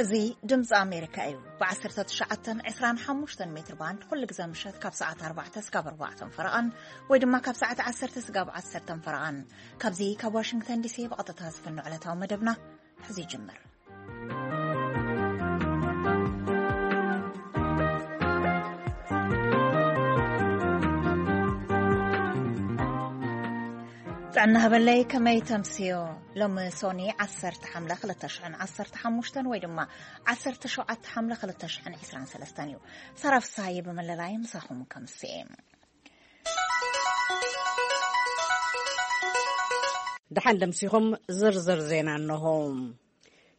እዚ ድምፂ ኣሜሪካ እዩ። ብ19፣ 25 ሜትር ባንድ ኩሉ ግዜ ምሸት ካብ ሰዓት ኣርባዕተ እስካብ ኣርባዕተ ፈረቓን፣ ወይ ድማ ካብ ሰዓት ዓሰርተ እስካብ ዓሰርተ ፈረቓን። ካብዚ ካብ ዋሽንግተን ዲሲ ብቐጥታ ዝፍኖ ዕለታዊ መደብና ሕዚ ይጅምር። ጥዕና ሃበለይ፣ ከመይ ተምስዮ? ሎሚ ሶኒ ዓሰርተ ሓምለ ክልተ ሽሕን ዓሰርተ ሓሙሽተን ወይ ድማ ዓሰርተ ሸውዓተ ሓምለ ክልተ ሽሕን ዕስራን ሰለስተን እዩ። ሳራ ፍስሃየ ብመለላይ ምሳኹም ከምስኤ። ደሓን ደምሲኹም፣ ዝርዝር ዜና እንሆ።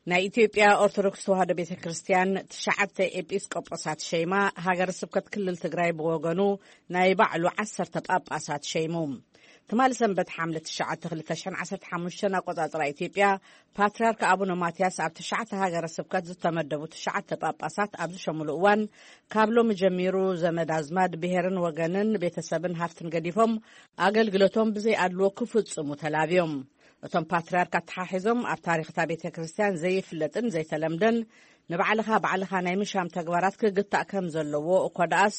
ናይ ኢትዮጵያ ኦርቶዶክስ ተዋህዶ ቤተ ክርስቲያን ትሽዓተ ኤጲስቆጶሳት ሸይማ፣ ሃገረ ስብከት ክልል ትግራይ ብወገኑ ናይ ባዕሉ ዓሰርተ ጳጳሳት ሸይሙ። ትማሊ ሰንበት ሓምለ ትሽዓተ ክልተ ሽሕን ዓሰርተ ሓሙሽተን ኣቆጻጽራ ኢትዮጵያ፣ ፓትርያርክ ኣቡነ ማትያስ ኣብ ትሽዓተ ሃገረ ስብከት ዝተመደቡ ትሽዓተ ጳጳሳት ኣብ ዝሸሙሉ እዋን፣ ካብ ሎሚ ጀሚሩ ዘመድ ኣዝማድ፣ ብሄርን ወገንን ቤተሰብን ሃፍትን ገዲፎም ኣገልግሎቶም ብዘይ ኣድልዎ ክፍጽሙ ተላብዮም። እቶም ፓትርያርክ ኣተሓሒዞም፣ ኣብ ታሪኽታ ቤተ ክርስቲያን ዘይፍለጥን ዘይተለምደን ንባዕልኻ ባዕልኻ ናይ ምሻም ተግባራት ክግታእ ከም ዘለዎ፣ እኮ ደኣስ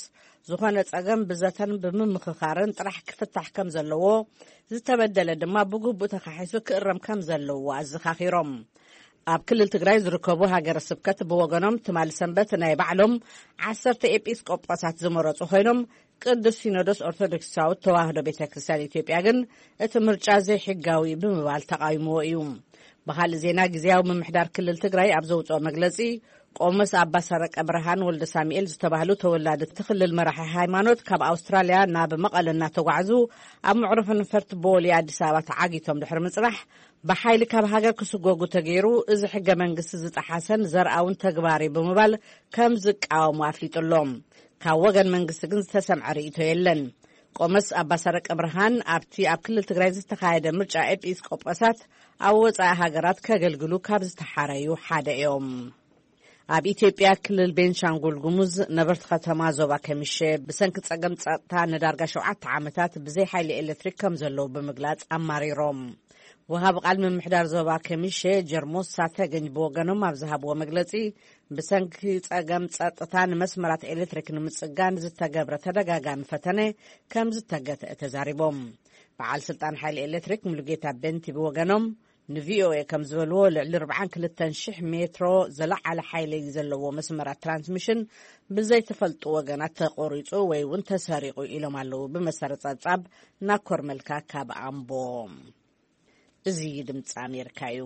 ዝኾነ ጸገም ብዘተን ብምምኽኻርን ጥራሕ ክፍታሕ ከም ዘለዎ፣ ዝተበደለ ድማ ብግቡእ ተኻሒሱ ክእረም ከም ዘለዎ ኣዘኻኺሮም። ኣብ ክልል ትግራይ ዝርከቡ ሃገረ ስብከት ብወገኖም፣ ትማሊ ሰንበት ናይ ባዕሎም ዓሰርተ ኤጲስቆጶሳት ዝመረጹ ኮይኖም፣ ቅዱስ ሲኖዶስ ኦርቶዶክሳዊት ተዋህዶ ቤተ ክርስቲያን ኢትዮጵያ ግን እቲ ምርጫ ዘይሕጋዊ ብምባል ተቓዊምዎ እዩ። ብኻልእ ዜና፣ ግዝያዊ ምምሕዳር ክልል ትግራይ ኣብ ዘውፅኦ መግለፂ፣ ቆሞስ ኣባ ሰረቀ ብርሃን ወልደ ሳሙኤል ዝተባህሉ ተወላዲ እቲ ክልል መራሒ ሃይማኖት፣ ካብ ኣውስትራልያ ናብ መቐለ እናተጓዕዙ፣ ኣብ መዕርፎ ነፈርቲ ቦሌ ኣዲስ ኣበባ ተዓጊቶም ድሕሪ ምፅናሕ፣ ብሓይሊ ካብ ሃገር ክስጎጉ ተገይሩ፣ እዚ ሕገ መንግስቲ ዝጠሓሰን ዘርኣውን ተግባር እዩ ብምባል ከም ዝቃወሙ ኣፍሊጡ ኣሎ። ካብ ወገን መንግስቲ ግን ዝተሰምዐ ርእይቶ የለን። ቆመስ ኣባ ሰረቀ ብርሃን፣ ኣብቲ ኣብ ክልል ትግራይ ዝተኻየደ ምርጫ ኤጲስቆጶሳት ኣብ ወጻኢ ሃገራት ከገልግሉ ካብ ዝተሓረዩ ሓደ እዮም። ኣብ ኢትዮጵያ ክልል ቤንሻንጉል ጉሙዝ ነበርቲ ከተማ ዞባ ከሚሼ፣ ብሰንኪ ጸገም ጸጥታ ንዳርጋ ሸውዓተ ዓመታት ብዘይ ሓይሊ ኤሌክትሪክ ከም ዘለዉ ብምግላጽ ኣማሪሮም። ወሃቢ ቃል ምምሕዳር ዞባ ከሚሼ ጀርሞሳ ተገኝ ብወገኖም ኣብ ዝሃብዎ መግለጺ፣ ብሰንኪ ጸገም ጸጥታ ንመስመራት ኤሌክትሪክ ንምጽጋን ዝተገብረ ተደጋጋሚ ፈተነ ከም ዝተገተአ ተዛሪቦም። በዓል ስልጣን ሓይሊ ኤሌክትሪክ ሙሉጌታ በንቲ ብወገኖም ንቪኦኤ ከም ዝበልዎ፣ ልዕሊ ኣርባዓን ክልተን ሽሕ ሜትሮ ዝለዓለ ሓይሊ ዘለዎ መስመራት ትራንስሚሽን ብዘይተፈልጡ ወገናት ተቆሪጹ ወይ እውን ተሰሪቑ ኢሎም ኣለዉ። ብመሰረት ጸብጻብ ናኮር መልካ ካብ ኣምቦ። እዚ ድምፂ ኣሜሪካ እዩ።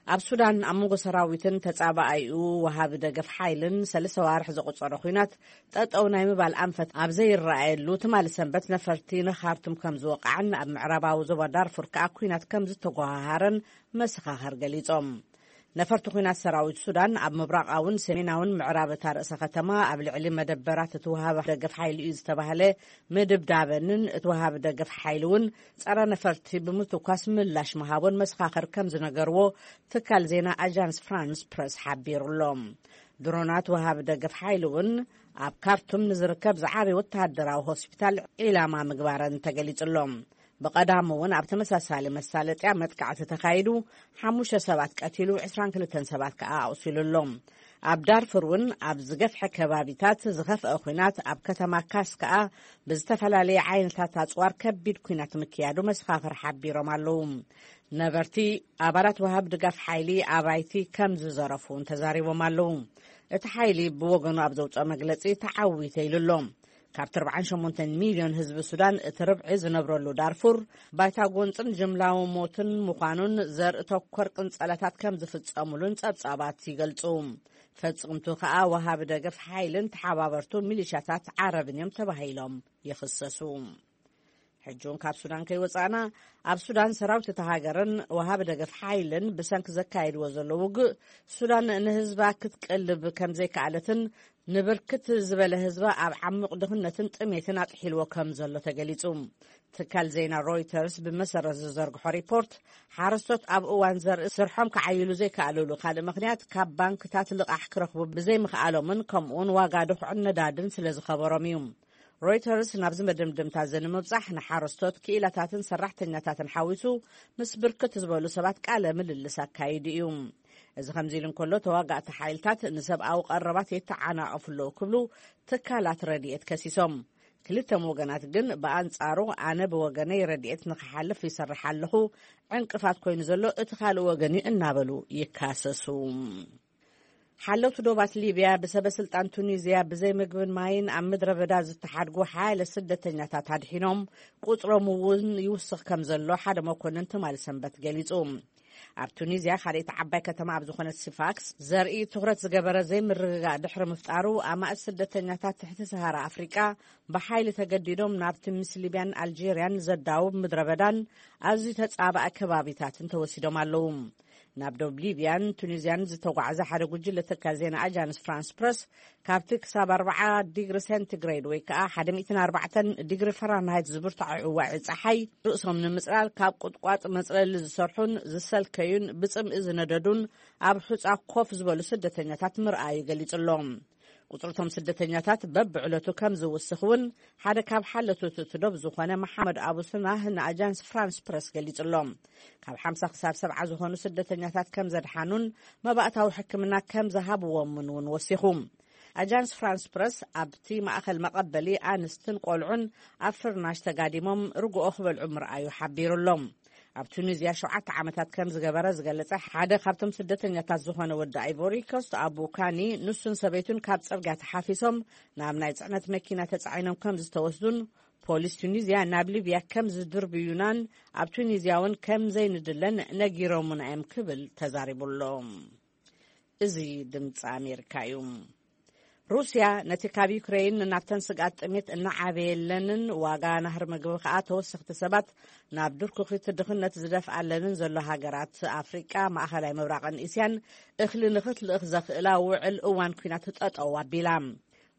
ኣብ ሱዳን ኣብ መንጎ ሰራዊትን ተጻባኣይኡ ወሃቢ ደገፍ ሓይልን ሰለስተ ዋርሕ ዘቆጸረ ኲናት ጠጠው ናይ ምባል ኣንፈት ኣብ ዘይረኣየሉ፣ ትማሊ ሰንበት ነፈርቲ ንኻርቱም ከም ዝወቃዕን ኣብ ምዕራባዊ ዞባ ዳርፉር ከኣ ኲናት ከም ዝተጓሃሃረን መሰኻኽር ገሊጾም። ነፈርቲ ኲናት ሰራዊት ሱዳን ኣብ ምብራቓውን ሰሜናውን ምዕራብ እታ ርእሰ ከተማ ኣብ ልዕሊ መደበራት እቲ ወሃቢ ደገፍ ሓይሊ እዩ ዝተባህለ ምድብዳበንን እቲ ወሃቢ ደገፍ ሓይሊ እውን ጸረ ነፈርቲ ብምትኳስ ምላሽ ምሃቦን መሰኻኽር ከም ዝነገርዎ ትካል ዜና ኣጃንስ ፍራንስ ፕረስ ሓቢሩ ኣሎ። ድሮናት ወሃቢ ደገፍ ሓይሊ እውን ኣብ ካርቱም ንዝርከብ ዝዓበየ ወተሃደራዊ ሆስፒታል ዒላማ ምግባረን ተገሊጹ ኣሎ። ብቐዳሙ እውን ኣብ ተመሳሳሊ መሳለጥያ መጥቃዕቲ ተኻይዱ፣ ሓሙሽተ ሰባት ቀቲሉ፣ ዕስራን ክልተን ሰባት ከኣ ኣቑሲሉ ኣሎ። ኣብ ዳርፉር እውን ኣብ ዝገፍሐ ከባቢታት ዝኸፍአ ኲናት፣ ኣብ ከተማ ካስ ከኣ ብዝተፈላለየ ዓይነታት ኣጽዋር ከቢድ ኲናት ምክያዱ መሰኻኽር ሓቢሮም ኣለዉ። ነበርቲ፣ ኣባላት ወሃብ ድጋፍ ሓይሊ ኣባይቲ ከም ዝዘረፉ እውን ተዛሪቦም ኣለዉ። እቲ ሓይሊ ብወገኑ ኣብ ዘውፅኦ መግለፂ፣ ተዓዊተ ኢሉ ኣሎ። ካብቲ ኣርባዓን ሸሞንተን ሚልዮን ህዝቢ ሱዳን እቲ ርብዒ ዝነብረሉ ዳርፉር፣ ባይታ ጎንፅን ጅምላዊ ሞትን ምዃኑን፣ ዘርኢ ተኮር ቅንፀላታት ከም ዝፍፀሙሉን ፀብፃባት ይገልፁ። ፈፅምቱ ከኣ ወሃቢ ደገፍ ሓይልን ተሓባበርቱ ሚሊሻታት ዓረብን እዮም ተባሂሎም ይኽሰሱ። ሕጂ እውን ካብ ሱዳን ከይወጻእና፣ ኣብ ሱዳን ሰራዊት እታ ሃገርን ወሃቢ ደገፍ ሓይልን ብሰንኪ ዘካየድዎ ዘሎ ውግእ፣ ሱዳን ንህዝባ ክትቀልብ ከም ዘይከኣለትን ንብርክት ዝበለ ህዝባ ኣብ ዓሚቕ ድኽነትን ጥሜትን ኣጥሒልዎ ከም ዘሎ ተገሊጹ። ትካል ዜና ሮይተርስ ብመሰረት ዝዘርግሖ ሪፖርት፣ ሓረስቶት ኣብ እዋን ዘርኢ ስርሖም ክዓይሉ ዘይከኣሉሉ ካልእ ምኽንያት፣ ካብ ባንክታት ልቓሕ ክረኽቡ ብዘይምኽኣሎምን ከምኡውን ዋጋ ድኹዕን ነዳድን ስለ ዝኸበሮም እዩ። ሮይተርስ ናብዚ መደምደምታ እዚ ንምብጻሕ ንሓረስቶት፣ ክኢላታትን ሰራሕተኛታትን ሓዊሱ ምስ ብርክት ዝበሉ ሰባት ቃለ ምልልስ ኣካይዱ እዩ። እዚ ከምዚ ኢሉ እንከሎ፣ ተዋጋእቲ ሓይልታት ንሰብኣዊ ቀረባት የተዓናቕፉ ኣለዉ ክብሉ ትካላት ረድኤት ከሲሶም። ክልተም ወገናት ግን ብኣንጻሩ፣ ኣነ ብወገነይ ረድኤት ንክሓልፍ ይሰርሕ ኣለኹ፣ ዕንቅፋት ኮይኑ ዘሎ እቲ ካልእ ወገን እዩ እናበሉ ይካሰሱ። ሓለውቲ ዶባት ሊብያ ብሰበ ስልጣን ቱኒዝያ ብዘይ ምግብን ማይን ኣብ ምድረ በዳ ዝተሓድጉ ሓያለ ስደተኛታት ኣድሒኖም፣ ቁጽሮም እውን ይውስኽ ከም ዘሎ ሓደ መኮንን ትማሊ ሰንበት ገሊጹ። ኣብ ቱኒዝያ ካልኣይቲ ዓባይ ከተማ ኣብ ዝኾነት ሲፋክስ ዘርኢ ትኹረት ዝገበረ ዘይምርግጋእ ድሕሪ ምፍጣሩ፣ ኣማእት ስደተኛታት ትሕቲ ሰሃራ ኣፍሪቃ ብሓይሊ ተገዲዶም ናብቲ ምስ ሊብያን ኣልጄርያን ዘዳውብ ምድረ በዳን ኣዝዩ ተጻባእ ከባቢታትን ተወሲዶም ኣለዉ። ናብ ዶብ ሊብያን ቱኒዝያን ዝተጓዕዘ ሓደ ጉጅለ ትካል ዜና ኣጃንስ ፍራንስ ፕረስ፣ ካብቲ ክሳብ ኣርብዓ ዲግሪ ሴንቲግሬድ ወይ ከኣ ሓደ ሚእትን ኣርባዕተን ዲግሪ ፈራንሃይት ዝብርትዖ ዕዋዒ ጸሓይ ርእሶም ንምጽላል ካብ ቁጥቋጥ መጽለሊ ዝሰርሑን ዝሰልከዩን ብጽምኢ ዝነደዱን ኣብ ሑጻ ኮፍ ዝበሉ ስደተኛታት ምርኣዩ ገሊጹ ኣሎ። ቁጽርቶም ስደተኛታት በብዕለቱ ከም ዝውስኽ እውን ሓደ ካብ ሓለቱት እቲ ዶብ ዝኾነ መሓመድ ኣቡ ስናህ ንኣጃንስ ፍራንስ ፕረስ ገሊጹ ኣሎ። ካብ ሓምሳ ክሳብ ሰብዓ ዝኾኑ ስደተኛታት ከም ዘድሓኑን መባእታዊ ሕክምና ከም ዝሃብዎምን እውን ወሲኹ። ኣጃንስ ፍራንስ ፕረስ ኣብቲ ማእኸል መቐበሊ ኣንስትን ቆልዑን ኣብ ፍርናሽ ተጋዲሞም ርግኦ ክበልዑ ምርኣዩ ሓቢሩ ኣሎ። ኣብ ቱኒዝያ ሸውዓተ ዓመታት ከም ዝገበረ ዝገለጸ ሓደ ካብቶም ስደተኛታት ዝኾነ ወዲ ኣይቮሪ ኮስት ኣቡ ካኒ፣ ንሱን ሰበይቱን ካብ ጽርግያ ተሓፊሶም ናብ ናይ ጽዕነት መኪና ተጻዒኖም ከም ዝተወስዱን ፖሊስ ቱኒዝያ ናብ ሊብያ ከም ዝድርብዩናን ኣብ ቱኒዝያ እውን ከም ዘይንድለን ነጊሮምና እዮም ክብል ተዛሪቡ ኣሎ። እዚ ድምፂ ኣሜሪካ እዩ። ሩስያ ነቲ ካብ ዩክሬን ናብተን ስግኣት ጥሜት እናዓበየለንን ዋጋ ናህሪ ምግቢ ከኣ ተወሰኽቲ ሰባት ናብ ድርኩኺት ድኽነት ዝደፍኣለንን ዘሎ ሃገራት ኣፍሪቃ፣ ማእኸላይ ምብራቕን እስያን እኽሊ ንኽትልእኽ ዘኽእላ ውዕል እዋን ኲናት ጠጠው ኣቢላ።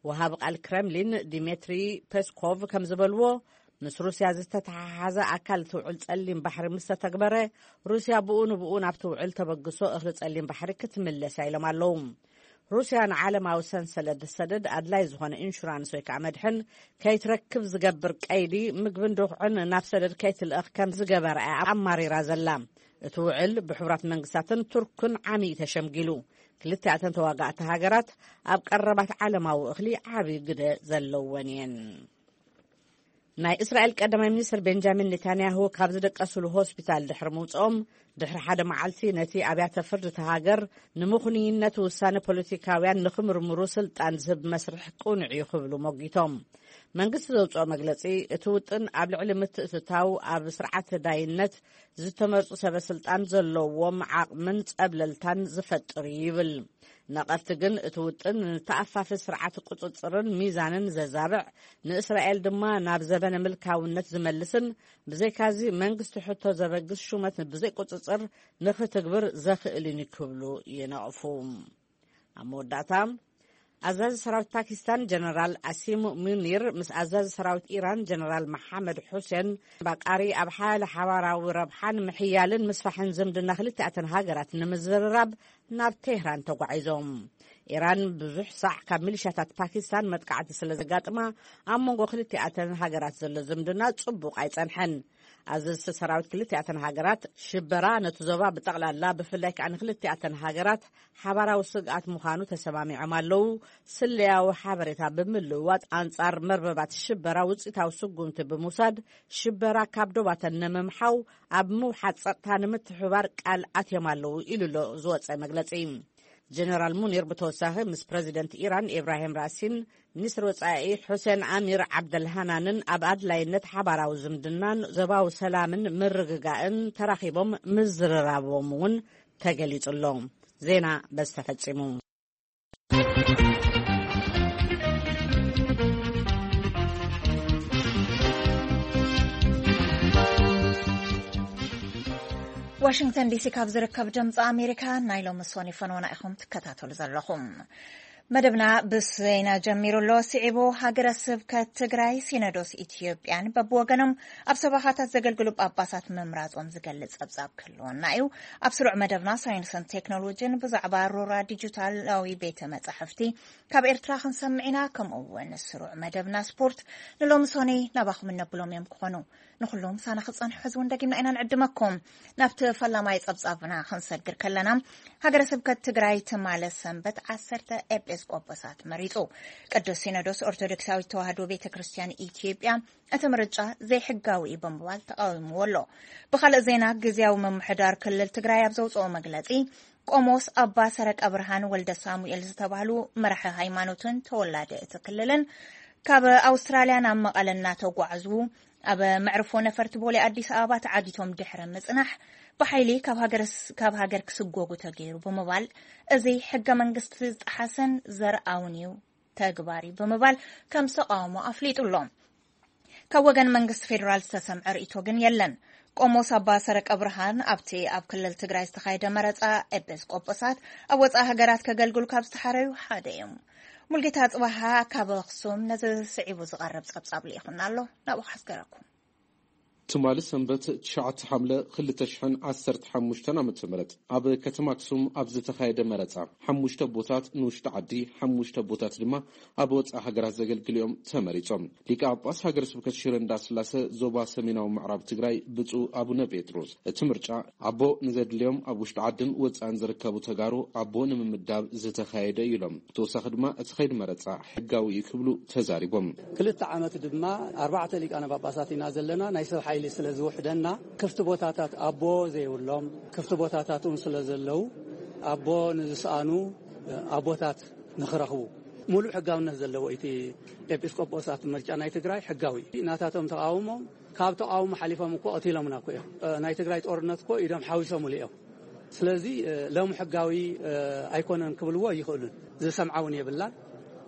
ወሃቢ ቃል ክረምሊን ዲሜትሪ ፔስኮቭ ከም ዝበልዎ፣ ምስ ሩስያ ዝተተሓሓዘ ኣካል እቲ ውዕል ጸሊም ባሕሪ ምስ ተተግበረ፣ ሩስያ ብኡ ንብኡ ናብቲ ውዕል ተበግሶ እኽሊ ጸሊም ባሕሪ ክትምለስ እያ ኢሎም ኣለዉ። ሩስያ ንዓለማዊ ሰንሰለት ሰደድ ኣድላይ ዝኾነ ኢንሹራንስ ወይ ከዓ መድሕን ከይትረክብ ዝገብር ቀይዲ፣ ምግብን ድኹዕን ናብ ሰደድ ከይትልእኽ ከም ዝገበረ እያ ኣማሪራ ዘላ። እቲ ውዕል ብሕቡራት መንግስታትን ቱርክን ዓሚ እዩ ተሸምጊሉ። ክልቲኣተን ተዋጋእቲ ሃገራት ኣብ ቀረባት ዓለማዊ እኽሊ ዓቢ ግደ ዘለወን እየን። ናይ እስራኤል ቀዳማይ ሚኒስትር ቤንጃሚን ኔታንያሁ ካብ ዝደቀስሉ ሆስፒታል ድሕሪ ምውፅኦም፣ ድሕሪ ሓደ መዓልቲ ነቲ ኣብያተ ፍርዲ እቲ ሃገር ንምኹንይነት ውሳነ ፖለቲካውያን ንክምርምሩ ስልጣን ዝህብ መስርሕ ቅኑዕ እዩ ክብሉ ሞጊቶም። መንግስቲ ዘውፅኦ መግለፂ፣ እቲ ውጥን ኣብ ልዕሊ ምትእትታው ኣብ ስርዓት ዳይነት ዝተመርፁ ሰበ ስልጣን ዘለዎም ዓቕምን ጸብለልታን ዝፈጥር እዩ ይብል። ነቐፍቲ ግን እቲ ውጥን ንተኣፋፊ ስርዓት ቁጽጽርን ሚዛንን ዘዛብዕ፣ ንእስራኤል ድማ ናብ ዘበነ ምልካውነት ዝመልስን፣ ብዘይካዚ መንግስቲ ሕቶ ዘበግስ ሹመት ብዘይ ቁጽጽር ንኽትግብር ዘኽእልን እዩ ክብሉ ይነቕፉ። ኣብ መወዳእታ፣ ኣዛዚ ሰራዊት ፓኪስታን ጀነራል ኣሲም ሙኒር ምስ ኣዛዚ ሰራዊት ኢራን ጀነራል መሓመድ ሑሴን ባቃሪ ኣብ ሓያለ ሓባራዊ ረብሓን ምሕያልን ምስፋሕን ዝምድና ክልቲኣተን ሃገራት ንምዝርራብ ናብ ቴህራን ተጓዒዞም። ኢራን ብዙሕ ሳዕ ካብ ሚሊሻታት ፓኪስታን መጥቃዕቲ ስለ ዘጋጥማ፣ ኣብ መንጎ ክልቲኣተን ሃገራት ዘሎ ዝምድና ጽቡቕ ኣይጸንሐን። ኣዘዝቲ ሰራዊት ክልቲኣተን ሃገራት ሽበራ ነቲ ዞባ ብጠቕላላ፣ ብፍላይ ከኣ ንክልቲኣተን ሃገራት ሓባራዊ ስግኣት ምዃኑ ተሰማሚዖም ኣለዉ። ስለያዊ ሓበሬታ ብምልውዋጥ ኣንጻር መርበባት ሽበራ ውጽኢታዊ ስጉምቲ ብምውሳድ ሽበራ ካብ ዶባተን ንምምሓው ኣብ ምውሓድ ጸጥታ ንምትሕብባር ቃል ኣትዮም ኣለዉ ኢሉ ኣሎ ዝወጸ መግለጺ። ጀነራል ሙኒር ብተወሳኺ ምስ ፕረዚደንት ኢራን ኢብራሂም ራሲን ሚኒስትሪ ወጻኢ ሑሴን ኣሚር ዓብደልሃናንን ኣብ ኣድላይነት ሓባራዊ ዝምድናን ዞባዊ ሰላምን ምርግጋእን ተራኺቦም ምዝርራቦም እውን ተገሊጹ ኣሎ። ዜና በዚ ተፈጺሙ። ዋሽንግተን ዲሲ ካብ ዝርከብ ድምፂ ኣሜሪካ ናይ ሎሚ ሶኒ ፈነወና ኢኹም ትከታተሉ ዘለኹም። መደብና ብዜና ጀሚሩ ኣሎ። ስዒቡ ሃገረ ስብከት ትግራይ ሲኖዶስ ኢትዮጵያን በብወገኖም ኣብ ሰበኻታት ዘገልግሉ ጳጳሳት ምምራጾም ዝገልጽ ጸብጻብ ክህልወና እዩ። ኣብ ስሩዕ መደብና ሳይንስን ቴክኖሎጂን ብዛዕባ ሮራ ዲጂታላዊ ቤተ መጻሕፍቲ ካብ ኤርትራ ክንሰምዕ ኢና። ከምኡ እውን ስሩዕ መደብና ስፖርት ንሎሚ ሶኒ ናባኹም እነብሎም እዮም ክኾኑ። ንኹሎም ሳና ክጸንሑ ሕዚ እውን ደጊምና ኢና ንዕድመኩም። ናብቲ ፈላማይ ጸብጻብና ክንሰግር ከለና፣ ሃገረ ስብከት ትግራይ ትማለ ሰንበት ዓሰርተ ኤጲስቆጶሳት መሪጹ። ቅዱስ ሲኖዶስ ኦርቶዶክሳዊት ተዋህዶ ቤተ ክርስቲያን ኢትዮጵያ እቲ ምርጫ ዘይሕጋዊ እዩ ብምባል ተቃዊምዎ ኣሎ። ብኻልእ ዜና፣ ግዝያዊ ምምሕዳር ክልል ትግራይ ኣብ ዘውፅኦ መግለፂ፣ ቆሞስ ኣባ ሰረቀ ብርሃን ወልደ ሳሙኤል ዝተባህሉ መራሒ ሃይማኖትን ተወላዲ እቲ ክልልን ካብ ኣውስትራልያ ናብ መቐለ እናተጓዕዙ ኣብ መዕርፎ ነፈርቲ ቦሌ ኣዲስ ኣበባ ተዓጊቶም ድሕሪ ምጽናሕ፣ ብሓይሊ ካብ ሃገር ስ-፣ ካብ ሃገር ክስጎጉ ተገይሩ ብምባል፣ እዚ ሕገ መንግስቲ ዝጠሓሰን ዘርኣውን እዩ ተግባር እዩ ብምባል ከም ዝተቃወሞ ኣፍሊጡ ኣሎ። ካብ ወገን መንግስቲ ፌዴራል ዝተሰምዐ ርእይቶ ግን የለን። ቆሞስ ኣባ ሰረቀ ብርሃን ኣብቲ ኣብ ክልል ትግራይ ዝተኻየደ መረጻ ኤጲስቆጶሳት ኣብ ወጻኢ ሃገራት ከገልግሉ ካብ ዝተሓረዩ ሓደ እዮም። ሙልጌታ ጽባሃ ካብ ኣኽሱም ነዚ ስዒቡ ዝቐርብ ጸብጻብ ልኢኹና ኣሎ፣ ናብኡ ከሕስገረኩም። ትማሊ ሰንበት ትሽዓተ ሓምለ ክልተ ሽሕን ዓሰርተ ሓሙሽተን ዓመተ ምህረት ኣብ ከተማ ኣክሱም ኣብ ዝተኻየደ መረጻ፣ ሓሙሽተ ኣቦታት ንውሽጢ ዓዲ፣ ሓሙሽተ ኣቦታት ድማ ኣብ ወጻኢ ሃገራት ዘገልግሉ እዮም ተመሪጾም። ሊቀ ጳጳስ ሃገረ ስብከት ሽረ እንዳስላሰ ዞባ ሰሜናዊ ምዕራብ ትግራይ ብፁዕ ኣቡነ ጴጥሮስ፣ እቲ ምርጫ ኣቦ ንዘድልዮም ኣብ ውሽጢ ዓድን ወጻእን ዝርከቡ ተጋሩ ኣቦ ንምምዳብ ዝተኻየደ እዩ ኢሎም። ብተወሳኺ ድማ እቲ ከይዲ መረጻ ሕጋዊ እዩ ክብሉ ተዛሪቦም። ክልተ ዓመት ድማ ኣርባዕተ ሊቃነ ጳጳሳት ኢና ዘለና። ናይ ሰብ ሓይሊ ስለ ዝውሕደና፣ ክፍቲ ቦታታት ኣቦ ዘይብሎም፣ ክፍቲ ቦታታት እውን ስለ ዘለዉ፣ ኣቦ ንዝሰኣኑ ኣቦታት ንኽረኽቡ፣ ሙሉእ ሕጋውነት ዘለዎ እቲ ኤጲስቆጶሳት ምርጫ ናይ ትግራይ ሕጋዊ እዩ። ናታቶም ተቃውሞም፣ ካብ ተቃውሞ ሓሊፎም እኮ ቀቲሎምና እኮ እዮም። ናይ ትግራይ ጦርነት እኮ ኢዶም ሓዊሶምሉ እዮም። ስለዚ፣ እ፣ ሎም ሕጋዊ፣ እ፣ ኣይኮነን ክብልዎ ኣይኽእሉን። ዝሰምዓ እውን የብላን።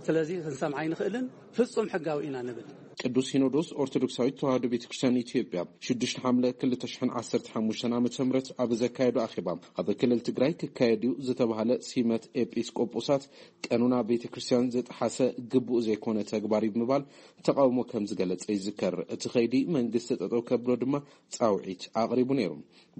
ስለዚ ክንሰምዓ ኣይንኽእልን። ፍጹም ሕጋዊ ኢና ንብል። ቅዱስ ሲኖዶስ ኦርቶዶክሳዊት ተዋህዶ ቤተ ክርስቲያን ኢትዮጵያ ሽዱሽተ ሓምለ ክልተ ሽሕን ዓሰርተ ሓሙሽተን ዓመተ ምህረት ኣብ ዘካየዶ ኣኼባ፣ ኣብ ክልል ትግራይ ክካየድ እዩ ዝተባህለ ሲመት ኤጲስቆጶሳት ቀኖና ቤተ ክርስቲያን ዝጠሓሰ ግቡእ ዘይኮነ ተግባር እዩ ብምባል ተቃውሞ ከም ዝገለጸ ይዝከር። እቲ ከይዲ መንግስቲ ጠጠው ከብሎ ድማ ጻውዒት ኣቕሪቡ ነይሩ።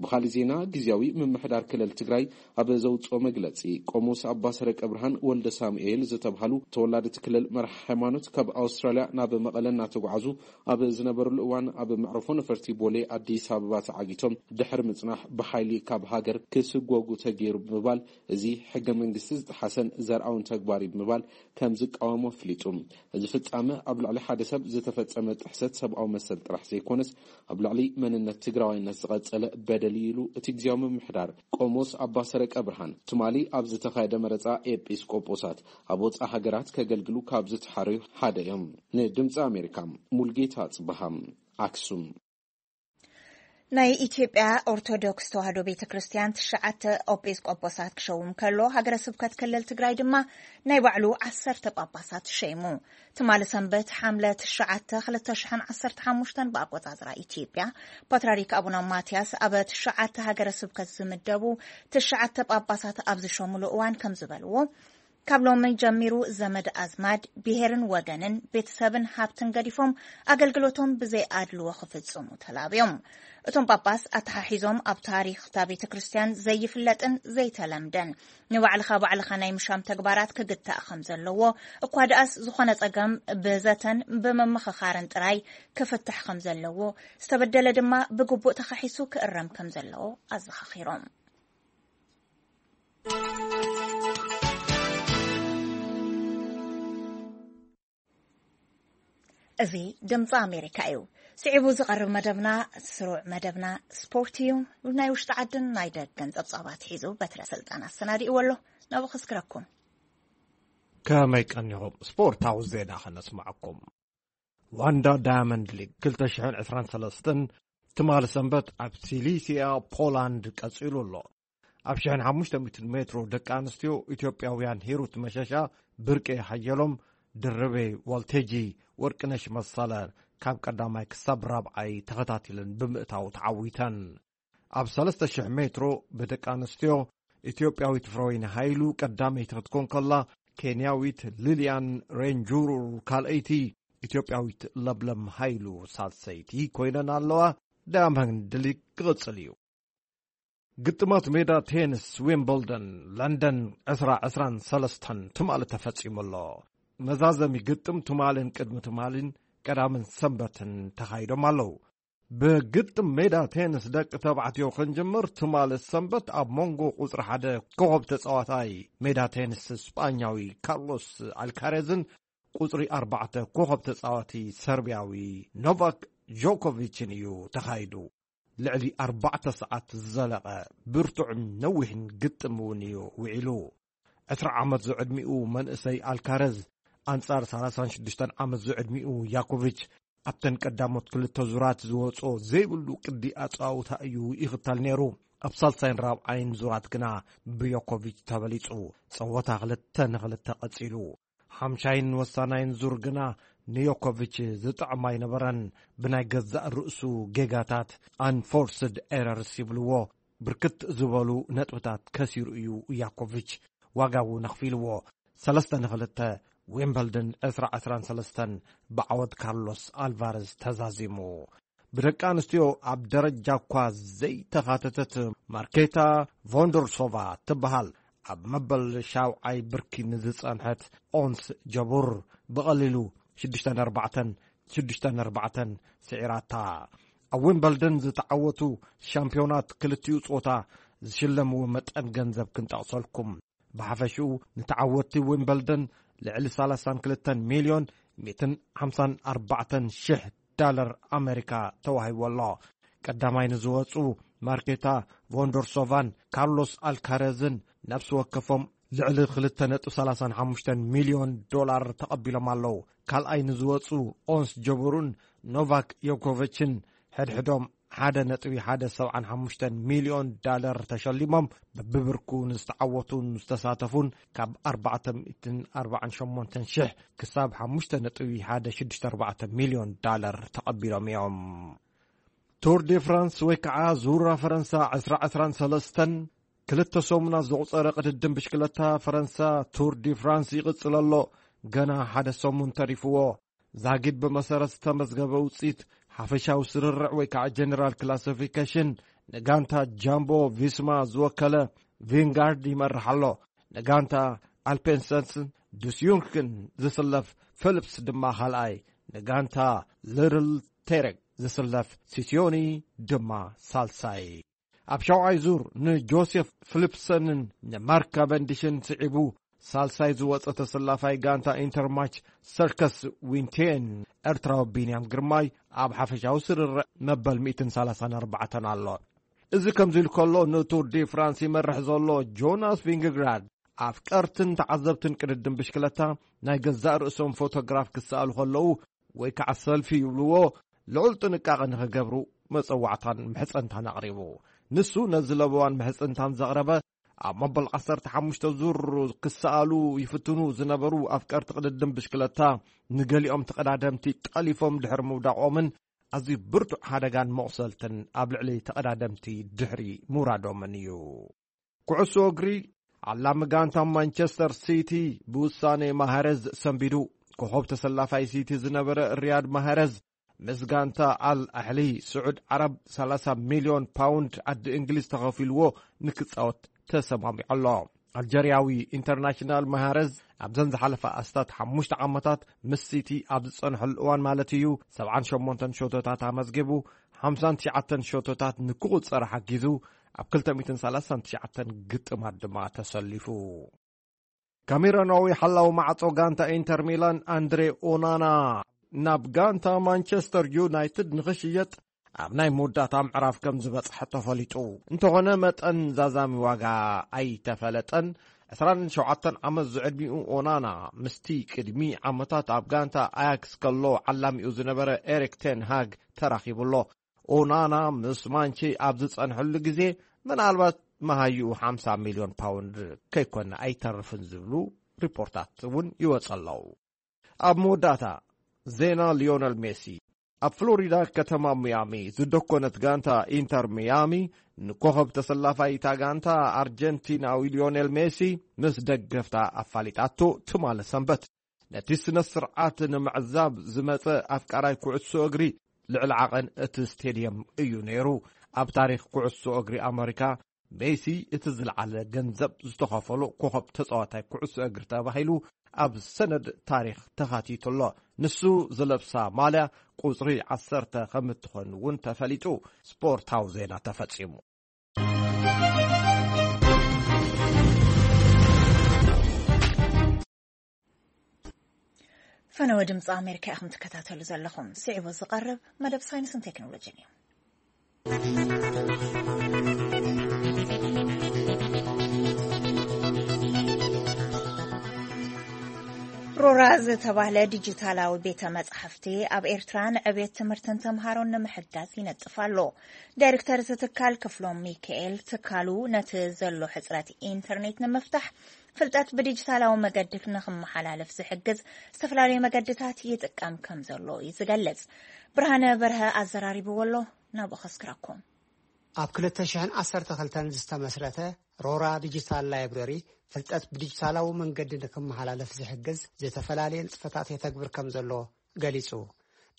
ብኻልእ ዜና፣ ግዝያዊ ምምሕዳር ክልል ትግራይ ኣብ ዘውፅኦ መግለፂ፣ ቆሞስ ኣባ ሰረቀ ብርሃን ወልደ ሳሙኤል ዝተብሃሉ ተወላዲ እቲ ክልል መራሒ ሃይማኖት ካብ ኣውስትራልያ ናብ መቐለ እናተጓዓዙ ኣብ ዝነበሩሉ እዋን፣ ኣብ መዕረፎ ነፈርቲ ቦሌ ኣዲስ ኣበባ ተዓጊቶም ድሕሪ ምፅናሕ ብሓይሊ ካብ ሃገር ክስጎጉ ተገይሩ ብምባል፣ እዚ ሕገ መንግስቲ ዝጠሓሰን ዘርኣውን ተግባር እዩ ብምባል ከም ዝቃወሞ ኣፍሊጡ። እዚ ፍጻመ ኣብ ልዕሊ ሓደ ሰብ ዝተፈጸመ ጥሕሰት ሰብኣዊ መሰል ጥራሕ ዘይኮነስ፣ ኣብ ልዕሊ መንነት ትግራዋይነት ዝቐጸለ በደል እዩ ኢሉ እቲ ግዝያዊ ምምሕዳር። ቆሞስ ኣባ ሰረቀ ብርሃን ትማሊ ኣብ ዝተኻየደ መረጻ ኤጲስቆጶሳት ኣብ ወጻኢ ሃገራት ከገልግሉ ካብ ዝተሓረዩ ሓደ እዮም። ንድምጺ ኣሜሪካ፣ ሙልጌታ ጽበሃ፣ ኣክሱም። ናይ ኢትዮጵያ ኦርቶዶክስ ተዋህዶ ቤተ ክርስቲያን ትሽዓተ ኤጲስቆጶሳት ክሸውም ከሎ፣ ሃገረ ስብከት ክልል ትግራይ ድማ ናይ ባዕሉ ዓሰርተ ጳጳሳት ሸይሙ። ትማሊ ሰንበት ሓምለ ትሽዓተ ክልተ ሽሕን ዓሰርተ ሓሙሽተን ብኣቆጻጽራ ኢትዮጵያ፣ ፓትርያርክ ኣቡነ ማትያስ ኣብ ትሽዓተ ሃገረ ስብከት ዝምደቡ ትሽዓተ ጳጳሳት ኣብ ዝሸሙሉ እዋን ከም ዝበልዎ፣ ካብ ሎሚ ጀሚሩ ዘመድ ኣዝማድ፣ ብሄርን ወገንን፣ ቤተሰብን ሃብትን ገዲፎም ኣገልግሎቶም ብዘይ ኣድልዎ ክፍጽሙ ተላብዮም። እቶም ጳጳስ ኣተሓሒዞም፣ ኣብ ታሪኽ እታ ቤተ ክርስቲያን ዘይፍለጥን ዘይተለምደን፣ ንባዕልኻ ባዕልኻ ናይ ምሻም ተግባራት ክግታእ ከም ዘለዎ፣ እኳ ደኣስ ዝኾነ ጸገም ብዘተን ብምምኽኻርን ጥራይ ክፍታሕ ከም ዘለዎ፣ ዝተበደለ ድማ ብግቡእ ተኻሒሱ ክእረም ከም ዘለዎ ኣዘኻኺሮም። እዚ ድምፂ ኣሜሪካ እዩ። ስዒቡ ዝቐርብ መደብና፣ ስሩዕ መደብና ስፖርት እዩ። ናይ ውሽጢ ዓድን ናይ ደገን ጸብጻባት ሒዙ በትረ ስልጣን ኣሰናዲእዎ ኣሎ። ናብኡ ከስግረኩም። ከመይ ቀኒኹም? ስፖርታዊ ዜና ከነስምዐኩም። ዋንዳ ዳያመንድ ሊግ ክልተ ሽሕን ዕስራን ሰለስተን ትማሊ ሰንበት ኣብ ሲሊሲያ ፖላንድ ቀጺሉ ኣሎ። ኣብ ሽሕን ሓሙሽተ ሚእትን ሜትሮ ደቂ ኣንስትዮ፣ ኢትዮጵያውያን ሂሩት መሸሻ፣ ብርቄ ሓየሎም፣ ድርቤ ዋልቴጂ፣ ወርቅነሽ መሰለ ካብ ቀዳማይ ክሳብ ራብዓይ ተኸታቲለን ብምእታው ተዓዊተን። ኣብ ሰለስተ ሽሕ ሜትሮ ብደቂ ኣንስትዮ፣ ኢትዮጵያዊት ፍረወይኒ ሃይሉ ቀዳመይቲ ክትኮን ከላ፣ ኬንያዊት ሊልያን ሬንጁሩር ካልኣይቲ፣ ኢትዮጵያዊት ለብለም ሃይሉ ሳልሰይቲ ኮይነን ኣለዋ። ዳያመንድ ሊግ ክቕጽል እዩ። ግጥማት ሜዳ ቴንስ ዊምብልደን ለንደን ዕስራ ዕስራን ሰለስተን ትማሊ ተፈጺሙ ኣሎ። መዛዘሚ ግጥም ትማልን ቅድሚ ትማልን ቀዳምን ሰንበትን ተኻይዶም ኣለዉ። ብግጥም ሜዳ ቴንስ ደቂ ተባዕትዮ ክንጅምር፣ ትማሊ ሰንበት ኣብ መንጎ ቁጽሪ ሓደ ኮኸብ ተጻዋታይ ሜዳ ቴንስ ስጳኛዊ ካርሎስ ኣልካሬዝን ቁጽሪ ኣርባዕተ ኮኸብ ተጻዋቲ ሰርቢያዊ ኖቫክ ጆኮቪችን እዩ ተኻይዱ። ልዕሊ ኣርባዕተ ሰዓት ዝዘለቐ ብርቱዕን ነዊሕን ግጥም እውን እዩ ውዒሉ። ዕስራ ዓመት ዝዕድሚኡ መንእሰይ ኣልካረዝ ኣንጻር ሰላሳን ሽዱሽተን ዓመት ዝዕድሚኡ ያኮቪች ኣብተን ቀዳሞት ክልተ ዙራት ዝወጾ ዘይብሉ ቅዲ ኣጻውታ እዩ ይኽተል ነይሩ። ኣብ ሳልሳይን ራብዓይን ዙራት ግና ብዮኮቪች ተበሊጹ። ጸወታ ክልተ ንኽልተ ቀጺሉ። ሓምሻይን ወሳናይን ዙር ግና ንዮኮቪች ዝጥዕም ኣይነበረን። ብናይ ገዛእ ርእሱ ጌጋታት፣ ኣንፎርስድ ኤረርስ ይብልዎ፣ ብርክት ዝበሉ ነጥብታት ከሲሩ እዩ ያኮቪች። ዋጋ እውን ኣኽፊልዎ። ሰለስተ ንኽልተ፣ ዊምበልደን ዕስራ ዕስራን ሰለስተን ብዓወት ካርሎስ ኣልቫረዝ ተዛዚሙ። ብደቂ ኣንስትዮ ኣብ ደረጃ እኳ ዘይተኻተተት ማርኬታ ቮንዶርሶቫ ትበሃል፣ ኣብ መበል ሻውዓይ ብርኪ ንዝጸንሐት ኦንስ ጀቡር ብቐሊሉ ሽዱሽተ ኣርባዕተን ሽዱሽተ ኣርባዕተን ስዒራታ። ኣብ ዊምበልደን ዝተዓወቱ ሻምፒዮናት ክልቲኡ ጾታ ዝሽለምዎ መጠን ገንዘብ ክንጠቕሰልኩም። ብሓፈሽኡ ንተዓወትቲ ዊምበልደን ልዕሊ ሰላሳን ክልተን ሚልዮን ሚእትን ሓምሳን ኣርባዕተን ሽሕ ዳለር ኣሜሪካ ተዋሂቡ ኣሎ። ቀዳማይ ንዝወጹ ማርኬታ ቮንዶርሶቫን ካርሎስ ኣልካረዝን ነፍሲ ወከፎም ልዕሊ ክልተ ነጥቢ ሰላሳን ሓሙሽተን ሚልዮን ዶላር ተቐቢሎም ኣለዉ። ካልኣይ ንዝወጹ ኦንስ ጀቡሩን ኖቫክ ዮኮቪችን ሕድሕዶም ሓደ ነጥቢ ሓደ ሰብዓን ሓሙሽተን ሚልዮን ዳለር ተሸሊሞም፣ በብብርኩ ንዝተዓወቱን ዝተሳተፉን ካብ ኣርባዕተ ሚእትን ኣርባዓን ሸሞንተን ሽሕ ክሳብ ሓሙሽተ ነጥቢ ሓደ ሽዱሽተ ኣርባዕተ ሚልዮን ዳለር ተቐቢሎም እዮም። ቱር ዲ ፍራንስ ወይ ከዓ ዙራ ፈረንሳ ዕስራ ዕስራን ሰለስተን ክልተ ሰሙናት ዘቑጸረ ቅድድም ብሽክለታ ፈረንሳ ቱር ዲ ፍራንስ ይቕጽል ኣሎ። ገና ሓደ ሰሙን ተሪፍዎ። ዛጊድ ብመሰረት ዝተመዝገበ ውጽኢት ሓፈሻዊ ስርርዕ ወይ ከዓ ጀነራል ክላሲፊኬሽን ንጋንታ ጃምቦ ቪስማ ዝወከለ ቪንጋርድ ይመርሕ ኣሎ። ንጋንታ ኣልፔንሰንስን ዱስዩንክን ዝስለፍ ፊሊፕስ ድማ ካልኣይ፣ ንጋንታ ሊትል ቴሬክ ዝስለፍ ሲሲዮኒ ድማ ሳልሳይ። ኣብ ሻውዓይ ዙር ንጆሴፍ ፊሊፕሰንን ንማርክ ካቨንዲሽን ስዒቡ ሳልሳይ ዝወጸ ተሰላፋይ ጋንታ ኢንተርማች ሰርከስ ዊንቴን ኤርትራዊ ቢንያም ግርማይ ኣብ ሓፈሻዊ ስርርዕ መበል ሚእትን ሰላሳን ኣርባዕተን ኣሎ። እዚ ከምዚ ኢሉ ከሎ ንቱር ዲ ፍራንስ ይመርሕ ዘሎ ጆናስ ቪንግግራድ ኣፍቀርትን ተዓዘብትን ቅድድም ብሽክለታ ናይ ገዛእ ርእሶም ፎቶግራፍ ክሰኣሉ ከለዉ ወይ ከዓ ሰልፊ ይብልዎ ልዑል ጥንቃቐ ንኽገብሩ መጸዋዕታን ምሕጸንታን ኣቕሪቡ። ንሱ ነዚ ለበዋን ምሕጽንታን ዘቕረበ ኣብ መበል ዓሰርተ ሓሙሽተ ዙር ክሰኣሉ ይፍትኑ ዝነበሩ ኣፍቀርቲ ቅድድም ብሽክለታ ንገሊኦም ተቐዳደምቲ ጠሊፎም ድሕሪ ምውዳቖምን ኣዝዩ ብርቱዕ ሓደጋን መቑሰልትን ኣብ ልዕሊ ተቐዳደምቲ ድሕሪ ምውራዶምን እዩ። ኩዕሶ እግሪ፣ ዓላሚ ጋንታ ማንቸስተር ሲቲ ብውሳኔ ማሃረዝ ሰንቢዱ። ኮኸብ ተሰላፋይ ሲቲ ዝነበረ ሪያድ ማሃረዝ ምስ ጋንታ ኣል ኣሕሊ ስዑድ ዓረብ ሰላሳ ሚልዮን ፓውንድ ዓዲ እንግሊዝ ተኸፊልዎ ንክጻወት ተሰማሚዑ ኣሎ። ኣልጀርያዊ ኢንተርናሽናል ማሃረዝ ኣብዘን ዝሓለፋ ኣስታት ሓሙሽተ ዓመታት ምስ ሲቲ ኣብ ዝጸንሐሉ እዋን ማለት እዩ፣ ሰብዓን ሸሞንተን ሸቶታት ኣመዝጊቡ፣ ሓምሳን ትሽዓተን ሸቶታት ንክቑጸር ሓጊዙ፣ ኣብ ክልተ ሚእትን ሰላሳን ትሽዓተን ግጥማት ድማ ተሰሊፉ። ካሜሮናዊ ሓላዊ ማዕጾ ጋንታ ኢንተር ሚላን ኣንድሬ ኦናና ናብ ጋንታ ማንቸስተር ዩናይትድ ንኽሽየጥ ኣብ ናይ መወዳእታ ምዕራፍ ከም ዝበጽሐ ተፈሊጡ። እንተኾነ መጠን ዛዛሚ ዋጋ ኣይተፈለጠን። ዕስራን ሸውዓተን ዓመት ዝዕድሚኡ ኦናና ምስቲ ቅድሚ ዓመታት ኣብ ጋንታ ኣያክስ ከሎ ዓላሚኡ ዝነበረ ኤሪክ ቴን ሃግ ተራኺቡ ኣሎ። ኦናና ምስ ማንቼ ኣብ ዝጸንሐሉ ግዜ ምናልባት መሃይኡ ሓምሳ ሚልዮን ፓውንድ ከይኮነ ኣይተርፍን ዝብሉ ሪፖርታት እውን ይወጽ ኣለዉ። ኣብ መወዳእታ ዜና ሊዮነል ሜሲ። ኣብ ፍሎሪዳ ከተማ ሚያሚ ዝደኮነት ጋንታ ኢንተር ሚያሚ ንኮኸብ ተሰላፋይ እታ ጋንታ ኣርጀንቲናዊ ሊዮኔል ሜሲ ምስ ደገፍታ ኣፋሊጣቶ ትማሊ ሰንበት። ነቲ ስነ ስርዓት ንምዕዛብ ዝመጸ ኣፍቃራይ ኩዕሶ እግሪ ልዕሊ ዓቐን እቲ ስቴድየም እዩ ነይሩ። ኣብ ታሪኽ ኩዕሶ እግሪ ኣመሪካ ሜሲ እቲ ዝለዓለ ገንዘብ ዝተኸፈሎ ኮኸብ ተጻዋታይ ኩዕሶ እግሪ ተባሂሉ ኣብ ሰነድ ታሪኽ ተኻቲቱ ኣሎ። ንሱ ዝለብሳ ማልያ ቁጽሪ ዓሰርተ ከም እትኾን እውን ተፈሊጡ። ስፖርታዊ ዜና ተፈጺሙ። ፈነወ ድምፂ ኣሜሪካ ኢኹም ትከታተሉ ዘለኹም። ስዒቡ ዝቐርብ መደብ ሳይንስን ቴክኖሎጂን እዩ። ሮራ ዝተባህለ ዲጂታላዊ ቤተ መጻሕፍቲ ኣብ ኤርትራ ንዕቤት ትምህርትን ተምሃሮን ንምሕጋዝ ይነጥፍ ኣሎ። ዳይሬክተር እቲ ትካል ክፍሎም ሚካኤል፣ ትካሉ ነቲ ዘሎ ሕጽረት ኢንተርኔት ንምፍታሕ ፍልጠት ብዲጂታላዊ መገዲ ንኽመሓላለፍ ዝሕግዝ ዝተፈላለዩ መገድታት ይጥቀም ከም ዘሎ እዩ ዝገልጽ። ብርሃነ በርሀ ኣዘራሪብዎ ኣሎ፣ ናብኡ ከስክረኩም። ኣብ ክልተ ሽሕን ዓሰርተ ክልተን ዝተመስረተ ሮራ ዲጂታል ላይብረሪ፣ ፍልጠት ብዲጂታላዊ መንገዲ ንክመሓላለፍ ዝሕግዝ ዝተፈላለየ ንጥፈታት የተግብር ከም ዘሎ ገሊጹ።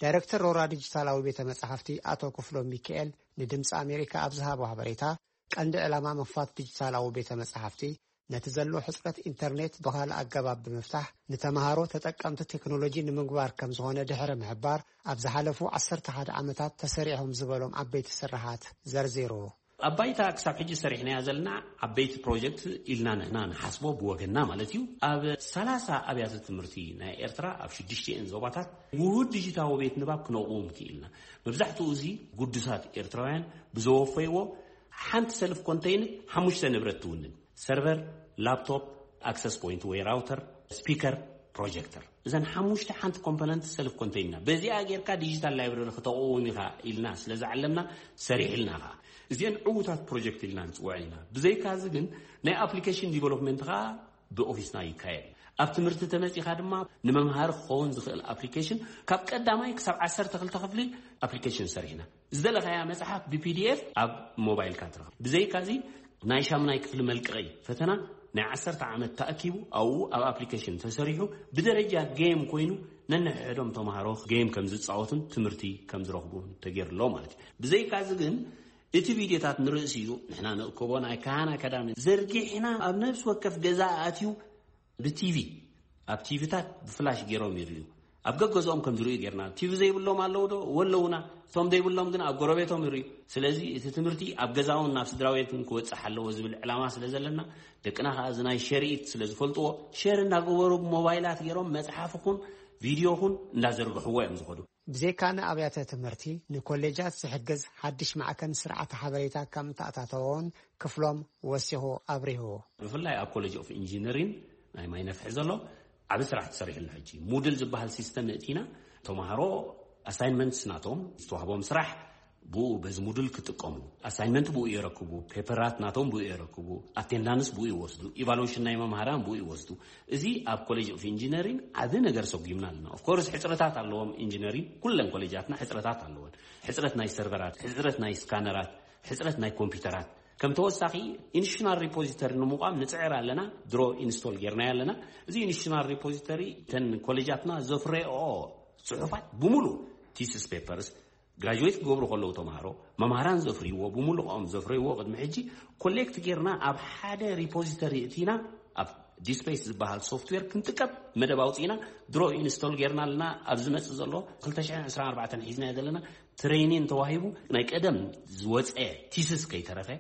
ዳይሬክተር ሮራ ዲጂታላዊ ቤተ መጻሕፍቲ ኣቶ ክፍሎም ሚካኤል ንድምፂ ኣሜሪካ ኣብ ዝሃቦ ሓበሬታ፣ ቀንዲ ዕላማ ምኽፋት ዲጂታላዊ ቤተ መጻሕፍቲ ነቲ ዘሎ ሕጽረት ኢንተርኔት ብኻልእ ኣገባብ ብምፍታሕ፣ ንተምሃሮ ተጠቀምቲ ቴክኖሎጂ ንምግባር ከም ዝኾነ ድሕሪ ምሕባር፣ ኣብ ዝሓለፉ ዓሰርተ ሓደ ዓመታት ተሰሪዖም ዝበሎም ዓበይቲ ስራሓት ዘርዚሩ። ኣብ ባይታ ክሳብ ሕጂ ሰሪሕናያ ዘለና ዓበይቲ ፕሮጀክት ኢልና ንሕና ንሓስቦ ብወገንና ማለት እዩ። ኣብ ሰላሳ ኣብያተ ትምህርቲ ናይ ኤርትራ ኣብ ሽዱሽቲኤን ዞባታት ውሁድ ዲጂታዊ ቤት ንባብ ክነቕውም ክኢልና። መብዛሕትኡ እዚ ግዱሳት ኤርትራውያን ብዘወፈይዎ ሓንቲ ሰልፍ ኮንተይነር ሓሙሽተ ንብረት ትውንን። ሰርቨር፣ ላፕቶፕ፣ ኣክሰስ ፖይንት ወይ ራውተር፣ ስፒከር፣ ፕሮጀክተር። እዘን ሓሙሽተ ሓንቲ ኮምፖነንት ሰልፍ ኮንተይነር። በዚኣ ጌርካ ዲጂታል ላይብረሪ ክተቕውም ኢኻ ኢልና ስለ ዝዓለምና ሰሪሕልና ኸኣ። እዚአን ዕዉታት ፕሮጀክት ኢልና ንጽውዐን ኢና። ብዘይካዚ ግን ናይ ኣፕሊኬሽን ዲቨሎፕመንት ኸኣ ብኦፊስና ይካየድ። ኣብ ትምህርቲ ተመጺኻ ድማ ንመምሃሪ ክኸውን ዝኽእል ኣፕሊኬሽን ካብ ቀዳማይ ክሳብ ዓሰርተ ክልተ ክፍሊ ኣፕሊኬሽን ሰሪሕና። ዝደለኻያ መጽሓፍ ብፒዲኤፍ ኣብ ሞባይልካ ትረኽብ። ብዘይካዚ ናይ ሻምናይ ክፍሊ መልቀቒ ፈተና ናይ ዓሰርተ ዓመት ተኣኪቡ ኣብኡ ኣብ ኣፕሊኬሽን ተሰሪሑ ብደረጃ ጌም ኮይኑ ነንሕድሕዶም ተምሃሮ ጌም ከም ዝጻወቱን ትምህርቲ ከም ዝረኽቡን ተገይሩ ኣሎ ማለት እዩ። ብዘይካዚ ግን እቲ ቪድዮታት ንርእሲ እዩ ንሕና ንእከቦ ናይ ካህን ኣካዳሚ ዘርጊሕና ኣብ ነፍሲ ወከፍ ገዛ ኣትዩ ብቲቪ ኣብ ቲቪታት ብፍላሽ ገይሮም ይርእዩ። ኣብ ገገዝኦም ከም ዝርእዩ ጌርና። ቲቪ ዘይብሎም ኣለዉ ዶ? ወለዉና። እቶም ዘይብሎም ግን ኣብ ጎረቤቶም ይርእዩ። ስለዚ እቲ ትምህርቲ ኣብ ገዛውን ናብ ስድራ ቤትን ክወጽእ ኣለዎ ዝብል ዕላማ ስለ ዘለና፣ ደቅና ከኣ እዚ ናይ ሸርኢት ስለ ዝፈልጥዎ፣ ሸር እንዳገበሩ ብሞባይላት ገይሮም መጽሓፍ ኹን ቪድዮ ኹን እንዳዘርግሕዎ እዮም ዝኸዱ። ብዘይካ ንኣብያተ ትምህርቲ፣ ንኮሌጃት ዝሕግዝ ሓድሽ ማዕከን ስርዓተ ሓበሬታ ከም እተኣታተወውን ክፍሎም ወሲኹ ኣብሪሁ። ብፍላይ ኣብ ኮሌጅ ኦፍ ኢንጂነሪን ናይ ማይ ነፍሒ ዘሎ ዓቢ ስራሕ ተሰሪሕሉ። ሕጂ ሙድል ዝበሃል ሲስተም እቲና፣ ተምሃሮ ኣሳይንመንትስ ናቶም ዝተዋህቦም ስራሕ ብኡ በዚ ሙድል ክጥቀሙ፣ ኣሳይንመንት ብኡ የረክቡ፣ ፔፐራት ናቶም ብኡ የረክቡ፣ ኣቴንዳንስ ብኡ ይወስዱ፣ ኢቫሉዌሽን ናይ መምሃራን ብኡ ይወስዱ። እዚ ኣብ ኮሌጅ ኦፍ ኢንጂነሪን ዓቢ ነገር ሰጉምና ኣለና። ኦፍኮርስ ሕጽረታት ኣለዎም። ኢንጂነሪን ኩለን ኮሌጃትና ሕጽረታት ኣለወን። ሕጽረት ናይ ሰርቨራት፣ ሕጽረት ናይ ስካነራት፣ ሕጽረት ናይ ኮምፒውተራት። ከም ተወሳኺ ኢንስቲቱሽናል ሪፖዚተሪ ንምቋም ንጽዕር ኣለና። ድሮ ኢንስቶል ጌርናዮ ኣለና። እዚ ኢንስቲቱሽናል ሪፖዚተሪ እተን ኮሌጃትና ዘፍረየኦ ጽሑፋት ብምሉእ፣ ቲስስ ፔፐርስ፣ ግራጁዌት ክገብሩ ከለዉ ተምሃሮ፣ መምሃራን ዘፍርይዎ፣ ብምሉኦም ዘፍረይዎ ቅድሚ ሕጂ ኮሌክት ጌርና ኣብ ሓደ ሪፖዚተሪ እቲና ኣብ ዲስፕሌይስ ዝበሃል ሶፍትዌር ክንጥቀም መደብ ኣውፂእና፣ ድሮ ኢንስቶል ጌርና ኣለና። ኣብ ዝመፅእ ዘሎ ክልተ ሽሕን ዕስራን ኣርባዕተን ሒዝናዮ ዘለና ትሬኒን ተዋሂቡ ናይ ቀደም ዝወፀ ቲስስ ከይተረፈ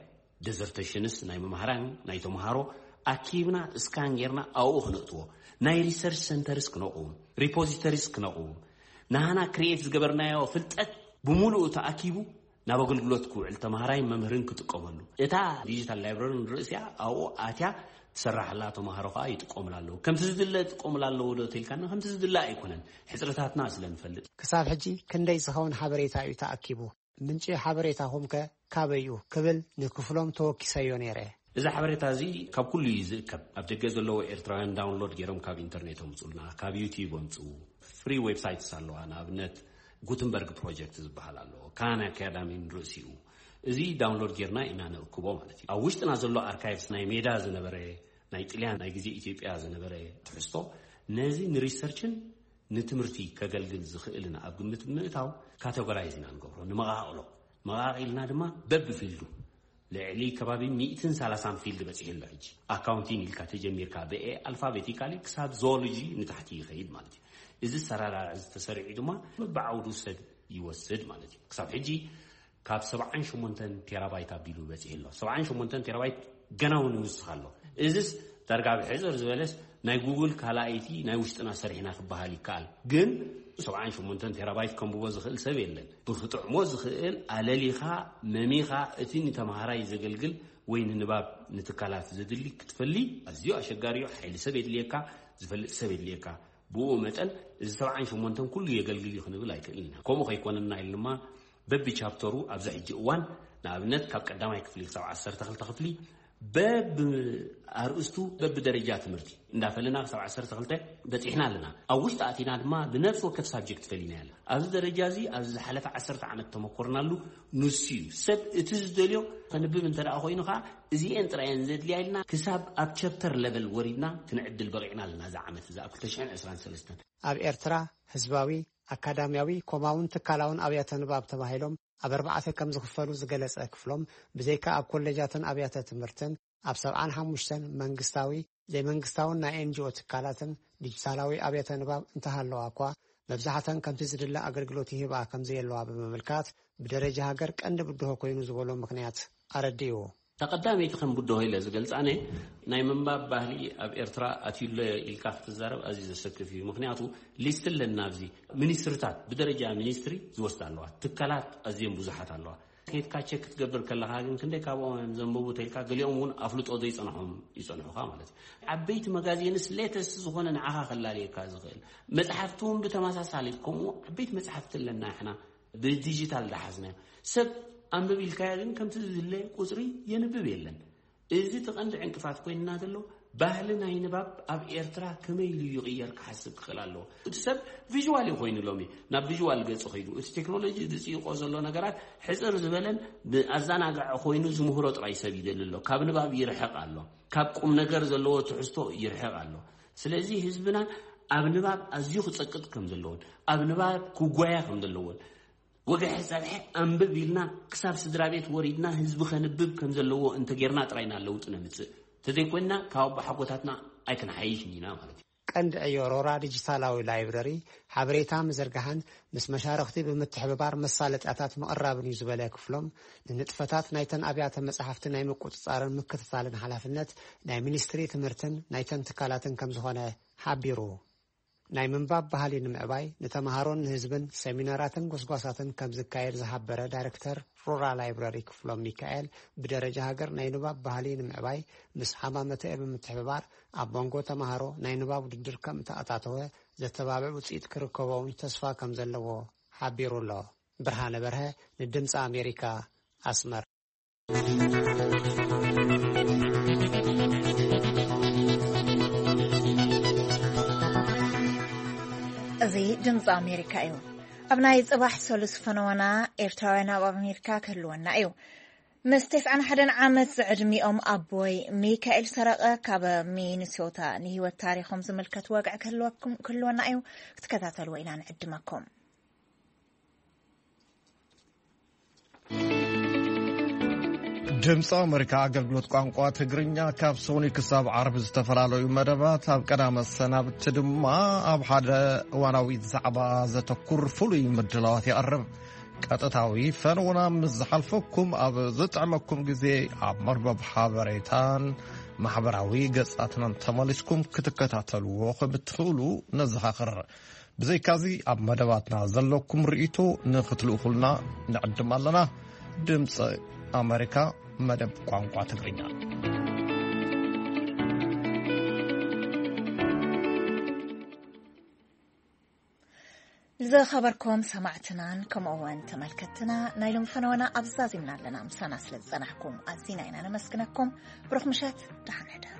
ደዘርቴሽንስ ናይ መምሃራን ናይ ተምሃሮ ኣኪብና ስካን ጌርና ኣብኡ ክነእትዎ፣ ናይ ሪሰርች ሰንተርስ ክነቕውም፣ ሪፖዚተሪስ ክነቕውም፣ ናህና ክሪኤት ዝገበርናዮ ፍልጠት ብምሉኡ ተኣኪቡ ናብ ኣገልግሎት ክውዕል ተምሃራይ መምህርን ክጥቀመሉ። እታ ዲጂታል ላይብረሪ ንርእሲኣ ኣብኡ ኣትያ ትሰራሕላ፣ ተምሃሮ ከኣ ይጥቀሙላ ኣለዉ። ከምቲ ዝድለ ይጥቀሙላ ኣለዉ ዶ ተልካና፣ ከምቲ ዝድለ ኣይኮነን፣ ሕጽረታትና ስለ ንፈልጥ። ክሳብ ሕጂ ክንደይ ዝኸውን ሓበሬታ እዩ ተኣኪቡ? ምንጪ ሓበሬታኹም ከ ካበይ እዩ ክብል ንክፍሎም ተወኪሰዮ ነይረ። እዚ ሓበሬታ እዚ ካብ ኩሉ እዩ ዝእከብ። ኣብ ደገ ዘለዉ ኤርትራውያን ዳውንሎድ ገይሮም ካብ ኢንተርኔት ኣምጹልና፣ ካብ ዩቲዩብ ኣምጽኡ። ፍሪ ዌብሳይትስ ኣለዋ፣ ንኣብነት ጉትንበርግ ፕሮጀክት ዝበሃል ኣሎ፣ ካን ኣካዳሚ ንርእሲኡ። እዚ ዳውንሎድ ጌርና ኢና ነእክቦ ማለት እዩ። ኣብ ውሽጥና ዘሎ ኣርካይቭስ፣ ናይ ሜዳ ዝነበረ፣ ናይ ጥልያን፣ ናይ ግዜ ኢትዮጵያ ዝነበረ ትሕዝቶ፣ ነዚ ንሪሰርችን ንትምህርቲ ከገልግል ዝኽእልን ኣብ ግምት ምእታው፣ ካተጎራይዝ ኢና ንገብሮ፣ ንመቓቕሎ። መቓቒልና ድማ በብፊልዱ፣ ልዕሊ ከባቢ ሚእትን ሰላሳን ፊልድ በፂሑ ኣሎ። ሕጂ ኣካውንቲንግ ኢልካ ተጀሚርካ፣ ብኤ ኣልፋቤቲካሊ ክሳብ ዞሎጂ ንታሕቲ ይኸይድ ማለት እዩ። እዚ ሰራራዕ እዚ ተሰሪዑ ድማ በብዓውዱ ሰብ ይወስድ ማለት እዩ። ክሳብ ሕጂ ካብ ሰብዓን ሸሞንተን ቴራባይት ኣቢሉ በፂሑ ኣሎ። ሰብዓን ሸሞንተን ቴራባይት ገና እውን ይውስኽ ኣሎ። እዚስ ዳርጋ ብሕፅር ዝበለስ ናይ ጉግል ካልኣይቲ ናይ ውሽጥና ሰሪሕና ክበሃል ይከኣል። ግን ሰብዓን ሸሞንተን ቴራባይት ከንብቦ ዝኽእል ሰብ የለን። ብክጥዕሞ ዝኽእል ኣለሊኻ፣ መሚኻ፣ እቲ ንተምሃራይ ዘገልግል ወይ ንንባብ ንትካላት ዘድሊ ክትፈሊ ኣዝዩ ኣሸጋሪ እዩ። ሓይሊ ሰብ የድልየካ፣ ዝፈልጥ ሰብ የድልየካ። ብኡ መጠን እዚ ሰብዓን ሸሞንተን ኩሉ የገልግል እዩ ክንብል ኣይክእልን ኢና። ከምኡ ከይኮነና ኢልና ድማ በቢ ቻፕተሩ ኣብዚ ሕጂ እዋን፣ ንኣብነት ካብ ቀዳማይ ክፍሊ ክሳብ ዓሰርተ ክልተ ክፍሊ በብ ኣርእስቱ፣ በብ ደረጃ ትምህርቲ እንዳፈለና ክሳብ ዓሰርተ ክልተ በፂሕና ኣለና። ኣብ ውሽጢ ኣቲና ድማ ብነፍሲ ወከፍ ሳብጀክት ፈሊና ያለ። ኣብዚ ደረጃ እዚ ኣብዚ ዝሓለፈ ዓሰርተ ዓመት ተመኮርናሉ ንሱ እዩ። ሰብ እቲ ዝደልዮ ከንብብ እንተ ደኣ ኮይኑ ከዓ እዚኤን ጥራየን ዘድልያ ኢልና ክሳብ ኣብ ቸፕተር ለቨል ወሪድና ክንዕድል በቂዕና ኣለና። እዚ ዓመት እዚ ኣብ ክልተ ሽሕን ዕስራን ሰለስተን ኣብ ኤርትራ ህዝባዊ፣ ኣካዳሚያዊ፣ ኮማውን ትካላውን ኣብያተ ንባብ ተባሂሎም ኣብ ኣርባዕተ ከም ዝኽፈሉ ዝገለጸ ክፍሎም፣ ብዘይካ ኣብ ኮሌጃትን ኣብያተ ትምህርትን፣ ኣብ ሰብዓን ሓሙሽተን መንግስታዊ፣ ዘይመንግስታውን ናይ ኤንጂኦ ትካላትን ዲጂታላዊ ኣብያተ ንባብ እንተሃለዋ እኳ፣ መብዛሕተን ከምቲ ዝድለ ኣገልግሎት ይህባ ከም ዘየለዋ ብምምልካት፣ ብደረጃ ሃገር ቀንዲ ብድሆ ኮይኑ ዝበሎ ምኽንያት ኣረዲኡ። እታ ቀዳመይቲ ከም ብድሆ ኢለ ዝገልጻ ኣነ፣ ናይ ምንባብ ባህሊ ኣብ ኤርትራ ኣትዩሎ ኢልካ ክትዛረብ ኣዝዩ ዘሰክፍ እዩ። ምኽንያቱ ሊስት ኣለና ኣብዚ፣ ሚኒስትሪታት፣ ብደረጃ ሚኒስትሪ ዝወስዳ ኣለዋ፣ ትካላት ኣዝየን ብዙሓት ኣለዋ። ከይድካ ቸክ ክትገብር ከለኻ ግን ክንደይ ካብኦም እዮም ዘንበቡ ተልካ፣ ገሊኦም እውን ኣፍልጦ ዘይጸንሖም ይጸንሑኻ ማለት እዩ። ዓበይቲ መጋዚንስ ሌተስት ዝኾነ ንዓኻ ከላልየካ ዝኽእል መጽሓፍቲ እውን ብተመሳሳሊ ከምኡ ዓበይቲ መጽሓፍቲ ኣለና። ንሕና ብዲጂታል ዳሓዝናዮ ሰብ ኣንብብ ኢልካዮ ግን ከምቲ ዝድለ ቁጽሪ የንብብ የለን። እዚ እቲ ቀንዲ ዕንቅፋት ኮይንና ዘሎ፣ ባህሊ ናይ ንባብ ኣብ ኤርትራ ከመይ ኢሉ ይቕየር ክሓስብ ክኽእል ኣለዎ። እቲ ሰብ ቪዥዋል እዩ ኮይኑ ሎሚ፣ ናብ ቪዥዋል ገጽ ኸይዱ። እቲ ቴክኖሎጂ ዝጽይቆ ዘሎ ነገራት ሕጽር ዝበለን ብኣዘናጋዒ ኮይኑ ዝምህሮ ጥራይ ሰብ ይደሊ ኣሎ። ካብ ንባብ ይርሕቕ ኣሎ። ካብ ቁም ነገር ዘለዎ ትሕዝቶ ይርሕቕ ኣሎ። ስለዚ ህዝብና ኣብ ንባብ ኣዝዩ ክጸቅጥ ከም ዘለዎን ኣብ ንባብ ክጓያ ከም ዘለዎን፣ ወግሐ ጸብሐ ኣንብብ ኢልና ክሳብ ስድራ ቤት ወሪድና ህዝቢ ከንብብ ከም ዘለዎ እንተጌርና ጥራይ ኢና ለውጢ ነምጽእ። ተዘይኮይንና ካብ ኣቦሓጎታትና ኣይክንሓይሽን ኢና ማለት እዩ። ቀንዲ ዕዮ ሮራ ዲጂታላዊ ላይብረሪ ሓበሬታ ምዝርጋሕን ምስ መሻርኽቲ ብምትሕብባር መሳለጥያታት ምቕራብን እዩ ዝበለ ክፍሎም፣ ንንጥፈታት ናይተን ኣብያተ መጻሕፍቲ ናይ ምቁጽጻርን ምክትታልን ሓላፍነት ናይ ሚኒስትሪ ትምህርትን ናይተን ትካላትን ከም ዝኾነ ሓቢሩ። ናይ ምንባብ ባህሊ ንምዕባይ ንተምሃሮን ንህዝብን ሰሚናራትን ጎስጓሳትን ከም ዝካየድ ዝሓበረ ዳይሬክተር ሩራል ላይብረሪ ክፍሎም ሚካኤል፣ ብደረጃ ሃገር ናይ ንባብ ባህሊ ንምዕባይ ምስ ሃማመተኤ ብምትሕብባር ኣብ መንጎ ተምሃሮ ናይ ንባብ ውድድር ከም እተኣታተወ ዘተባብዕ ውፅኢት ክርከቦ እውን ተስፋ ከም ዘለዎ ሓቢሩ ኣሎ። ብርሃነ በርሀ ንድምፂ ኣሜሪካ፣ ኣስመራ። እዚ ድምፂ ኣሜሪካ እዩ። ኣብ ናይ ጽባሕ ሰሉስ ፈነወና ኤርትራውያን ኣብ ኣሜሪካ ክህልወና እዩ። ምስ ተስዓን ሓደን ዓመት ዝዕድሚኦም ኣቦይ ሚካኤል ሰረቐ ካብ ሚኒሶታ ንህይወት ታሪኾም ዝምልከት ወግዒ ክህልወኩም፣ ክህልወና እዩ። ክትከታተልዎ ኢና ንዕድመኩም። ድምፂ ኣሜሪካ ኣገልግሎት ቋንቋ ትግርኛ ካብ ሶኒ ክሳብ ዓርቢ ዝተፈላለዩ መደባት ኣብ ቀዳመ ሰናብቲ ድማ ኣብ ሓደ እዋናዊ ዛዕባ ዘተኩር ፍሉይ ምድላዋት የቕርብ። ቀጥታዊ ፈነውና ምስ ዝሓልፈኩም ኣብ ዝጥዕመኩም ግዜ ኣብ መርበብ ሓበሬታን ማሕበራዊ ገጻትናን ተመሊስኩም ክትከታተልዎ ከም እትኽእሉ ነዘኻኽር። ብዘይካዚ ኣብ መደባትና ዘለኩም ርእይቶ ንኽትልእኹልና ንዕድም ኣለና። ድምፂ ኣሜሪካ መደብ ቋንቋ ትግርኛ። ዝኸበርኩም ሰማዕትናን ከምኡ እውን ተመልከትትና ናይ ሎም ፈነወና ኣብ ዛዚምና ኣለና። ምሳና ስለ ዝጸናሕኩም ኣዚና ኢና ነመስግነኩም። ብሩኽ ምሸት፣ ደሓን ሕደሩ።